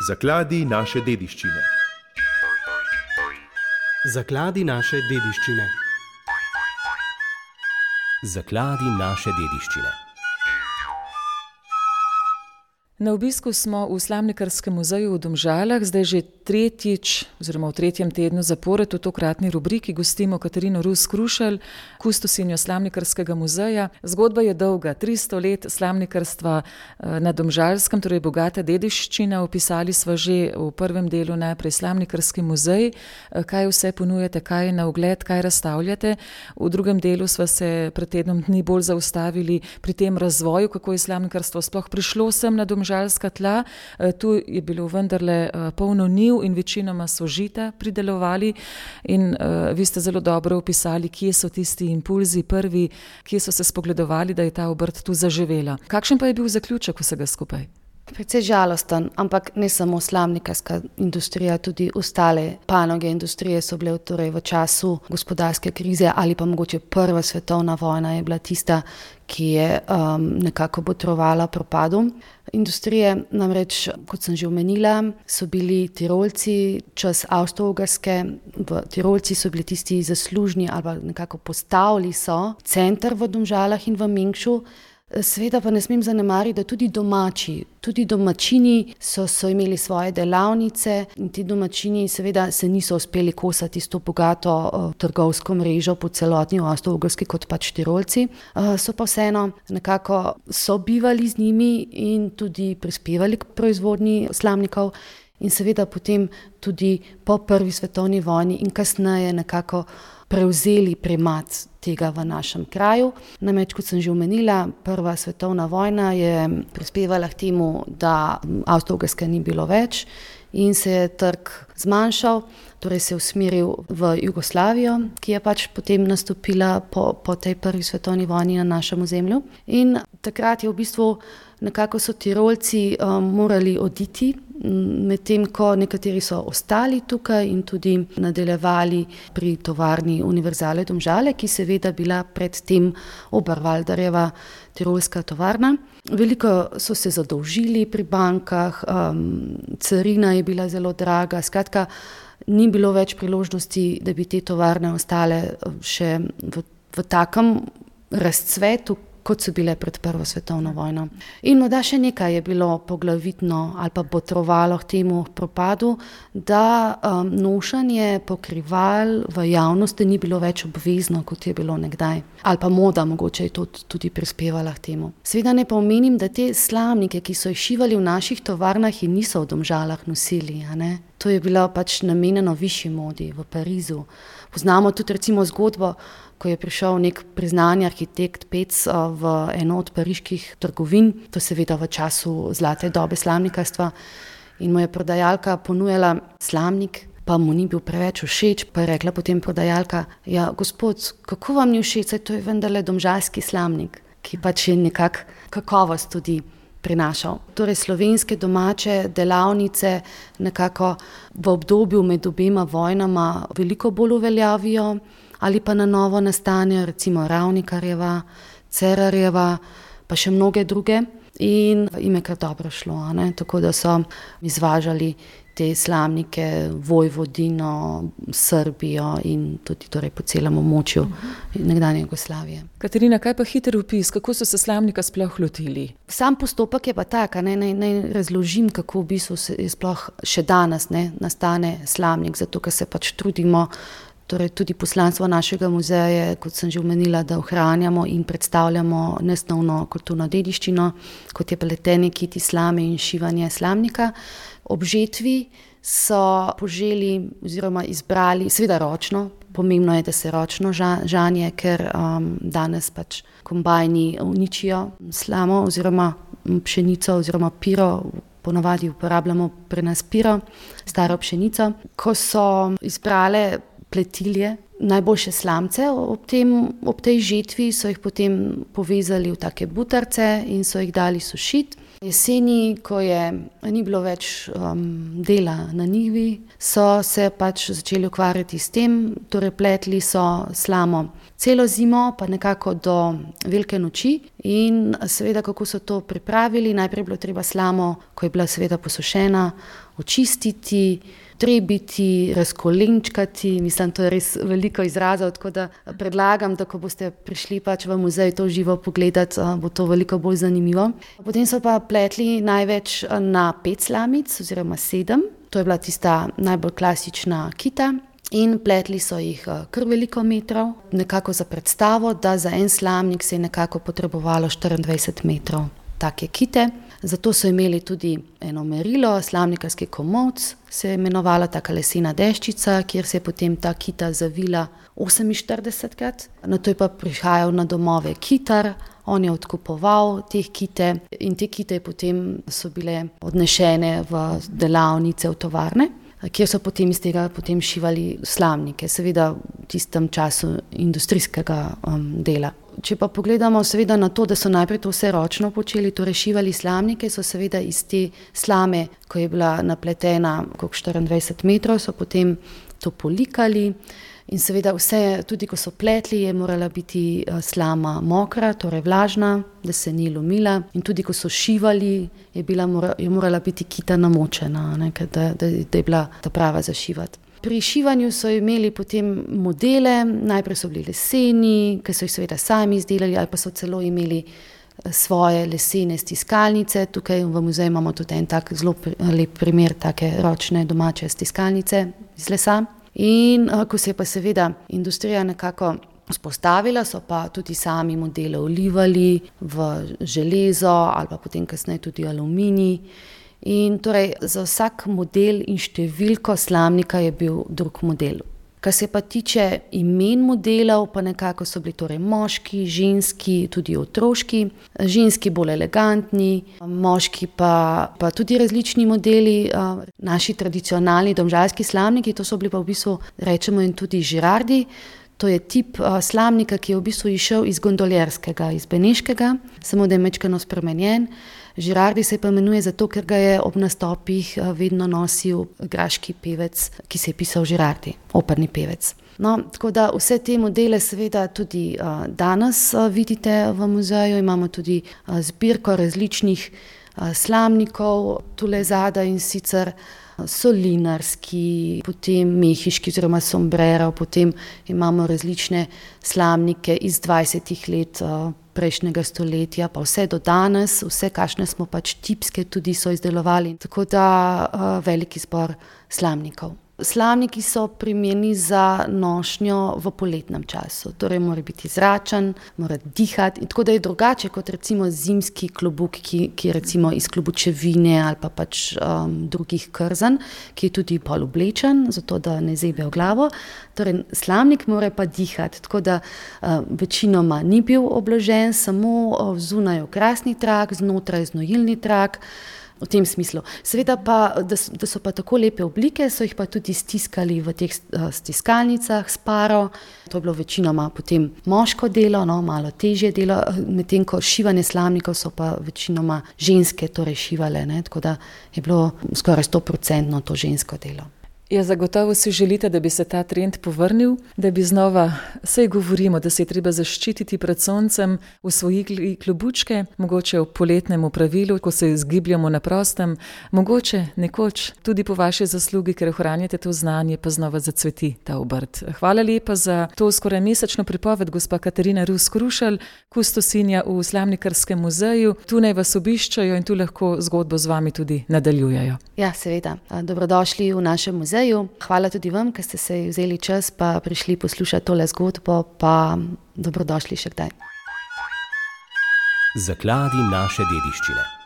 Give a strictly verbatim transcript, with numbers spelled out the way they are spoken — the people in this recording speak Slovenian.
Zakladi naše dediščine. Zakladi naše dediščine. Zakladi naše dediščine. Na obisku smo v Slamnikarskem muzeju v Domžalah, zdaj že tretjič oziroma v tretjem tednu zapored v tokratni rubriki gostimo Katarino Rus Krušelj, kustosinjo Slamnikarskega muzeja. Zgodba je dolga, tristo let slamnikarstva na Domžalskem, torej bogata dediščina. Opisali sva že v prvem delu najprej Slamnikarski muzej, kaj vse ponujate, kaj je na ogled, kaj razstavljate. V drugem delu sva se pred tednom dni bolj zaustavili pri tem razvoju, kako je slamnikarstvo sploh prišlo sem na Domžalskem. Žalska tla. Tu je bilo vendarle polno njiv in večinoma so žita pridelovali in uh, vi ste zelo dobro opisali, kje so tisti impulzi prvi, kje so se spogledovali, da je ta obrt tu zaživela. Kakšen pa je bil zaključek vsega skupaj? Precej žalosten, ampak ne samo slamnikarska industrija, tudi ostale panoge industrije so bile torej v času gospodarske krize ali pa mogoče prva svetovna vojna je bila tista, ki je um, nekako botrovala propadu industrije. Namreč, kot sem že omenila, so bili Tirolci čas Avstro-Ogrske, v Tirolci so bili tisti zaslužni ali nekako postavili so center v Domžalah in v Mengšu. Seveda pa ne smem zanemariti, da tudi domači, tudi domačini so, so imeli svoje delavnice in ti domačini seveda se niso uspeli kosati s to bogato uh, trgovsko mrežo po celotni Avstro-Ogrski kot pač Tirolci. Uh, so pa vseeno nekako sobivali z njimi in tudi prispevali k proizvodnji slamnikov in seveda potem tudi po prvi svetovni vojni in kasneje nekako prevzeli primat tega v našem kraju. Namreč, kot sem že omenila, prva svetovna vojna je prispevala k temu, da Avstro-Ogrske ni bilo več in se je trg zmanjšal, torej se je usmeril v Jugoslavijo, ki je pač potem nastopila po, po tej prvi svetovni vojni na našem ozemlju. In takrat je v bistvu nekako so Tirolci um, morali oditi, medtem ko nekateri so ostali tukaj in tudi nadaljevali pri tovarni Univerzale Domžale, ki seveda bila predtem Oberwalderjeva tirolska tovarna. Veliko so se zadolžili pri bankah, um, carina je bila zelo draga, skratka, ni bilo več priložnosti, da bi te tovarne ostale še v, v takem razcvetu, kot so bile pred prvo svetovno vojno. In morda še nekaj je bilo poglavitno ali pa botrovalo k temu propadu, da um, nošanje pokrival v javnosti ni bilo več obvezno, kot je bilo nekdaj. Ali pa moda mogoče je to tudi prispevala k temu. Seveda ne pa omenim, da te slamnike, ki so jih šivali v naših tovarnah in niso v Domžalah nosili, a ne? To je bilo pač namenjeno višji modi v Parizu. Poznamo tudi recimo zgodbo, ko je prišel nek priznani arhitekt Pec v eno od pariških trgovin, to seveda v času zlate dobe slamnikarstva, in mu je prodajalka ponujala slamnik, pa mu ni bil preveč všeč, pa je rekla potem prodajalka, ja, gospod, kako vam ni všeč, saj to je vendarle domžalski slamnik, ki pač je nekak kakovost tudi prinašal. Torej slovenske domače delavnice nekako v obdobju med obema vojnama veliko bolj uveljavijo ali pa na novo nastanejo, recimo Ravnikarjeva, Cerarjeva, pa še mnoge druge in jim je kar dobro šlo, ne? Tako da so izvažali te slamnike Vojvodino, Srbijo in tudi torej po celem območju nekdanje Jugoslavije. Katarina, kaj pa hiter opis, kako so se slamnika sploh lotili? Sam postopek je pa tak, ne, naj, naj razložim, kako v bistvu se sploh še danes ne, nastane slamnik, zato ker se pač trudimo. Torej tudi poslanstvo našega muzeja je, kot sem že omenila, da ohranjamo in predstavljamo nesnovno kulturno dediščino, kot je pletenje kiti slame in šivanje slamnika. Ob žetvi so poželi oziroma izbrali, seveda ročno, pomembno je, da se ročno žanje, ker um, danes pač kombajni uničijo slamo oziroma pšenico oziroma piro, ponavadi uporabljamo pri nas piro, staro pšenico. Ko so izbrale pletilje, najboljše slamce ob, tem, ob tej žetvi so jih potem povezali v take butarce in so jih dali sušiti. Jeseni, ko je ni bilo več um, dela na njivi, so se pač začeli ukvarjati s tem, torej pletli so slamo celo zimo, pa nekako do velike noči in seveda, kako so to pripravili, najprej je bilo treba slamo, ko je bila seveda posušena, očistiti, trebiti, razkolenčkati, mislim, to je res veliko izrazov, tako da predlagam, da ko boste prišli pač v muzej to živo pogledati, bo to veliko bolj zanimivo. Potem so pa pletli največ na pet slamic oziroma sedem, to je bila tista najbolj klasična kita in pletli so jih kar veliko metrov, nekako za predstavo, da za en slamnik se je nekako potrebovalo štiriindvajset metrov take kite. Zato so imeli tudi eno merilo, slamnikarski komolc, se je imenovala taka lesena deščica, kjer se je potem ta kita zavila oseminštiridesetkrat. Nato je pa prihajal na domove kitar, on je odkupoval te kite in te kite potem so bile odnešene v delavnice, v tovarne, kjer so potem iz tega potem šivali slamnike, seveda v tistem času industrijskega um, dela. Če pa pogledamo seveda na to, da so najprej to vse ročno počeli, torej šivali slamnike, so seveda iz te slame, ko je bila napletena okrog štiriindvajset metrov, so potem to polikali in seveda vse, tudi ko so pletli, je morala biti slama mokra, torej vlažna, da se ni lomila in tudi ko so šivali, je, bila, je morala biti kita namočena, ne, da, da, da je bila ta prava za šivati. Pri šivanju so imeli potem modele, najprej so bili leseni, ki so jih seveda sami izdelali ali pa so celo imeli svoje lesene stiskalnice. Tukaj v muzeju imamo tudi en tak zelo lep primer take ročne domače stiskalnice iz lesa. In ko se je pa seveda industrija nekako vzpostavila, so pa tudi sami modele olivali v železo ali pa potem kasneje tudi aluminij. In torej za vsak model in številko slamnika je bil drug model. Kar se pa tiče imen modelov, pa nekako so bili torej moški, ženski, tudi otroški, ženski bolj elegantni, moški pa, pa tudi različni modeli, naši tradicionalni domžalski slamniki, to so bili pa v bistvu, rečemo in tudi žirardi. To je tip uh, slamnika, ki je v bistvu išel iz gondoljerskega, iz beneškega, samo da je mečkano spremenjen. Žirardi se pa imenuje zato, ker ga je ob nastopih uh, vedno nosil graški pevec, ki se je pisal Žirardi, operni pevec. No, tako da vse te modele seveda tudi uh, danes uh, vidite v muzeju, imamo tudi uh, zbirko različnih uh, slamnikov, tule zadaj in sicer solinarski, potem mehiški oziroma sombrero, potem imamo različne slamnike iz dvajsetih let prejšnjega stoletja, pa vse do danes, vse kakšne smo pač tipske tudi so izdelovali, tako da velik izbor slamnikov. Slamniki so primerni za nošnjo v poletnem času, torej mora biti zračen, mora dihati, tako da je drugače kot recimo zimski klobuk, ki, ki je recimo iz klobučevine ali pa pač um, drugih krzan, ki je tudi bolj oblečen, zato da ne zebe v glavo. Torej slamnik mora pa dihati, tako da uh, večinoma ni bil obložen, samo uh, zunaj okrasni trak, znotraj znojilni trak. V tem smislu. Seveda pa, da so, da so pa tako lepe oblike, so jih pa tudi stiskali v teh stiskalnicah s paro. To je bilo večinoma potem moško delo, no, malo težje delo, medtem ko šivanje slamnikov so pa večinoma ženske torej šivale, ne, tako da je bilo skoraj sto procentno to žensko delo. Ja, zagotovo si želite, da bi se ta trend povrnil, da bi znova, saj govorimo, da se je treba zaščititi pred soncem, usvojili klobučke, mogoče v poletnem pravilu, ko se izgibljamo na prostem, mogoče nekoč tudi po vaši zaslugi, ker ohranjate to znanje, pa znova zacveti ta obrt. Hvala lepa za to skoraj mesečno pripoved, gospa Katarina Rus Krušelj, kustosinja v Slamnikarskem muzeju. Tu naj vas obiščajo in tu lahko zgodbo z vami tudi nadaljujejo. Ja, seveda. Dobrodošli v našem muzeju. Hvala tudi vam, ker ste se vzeli čas pa prišli poslušati tole zgodbo, pa dobrodošli še kdaj. Zakladi naše dediščine.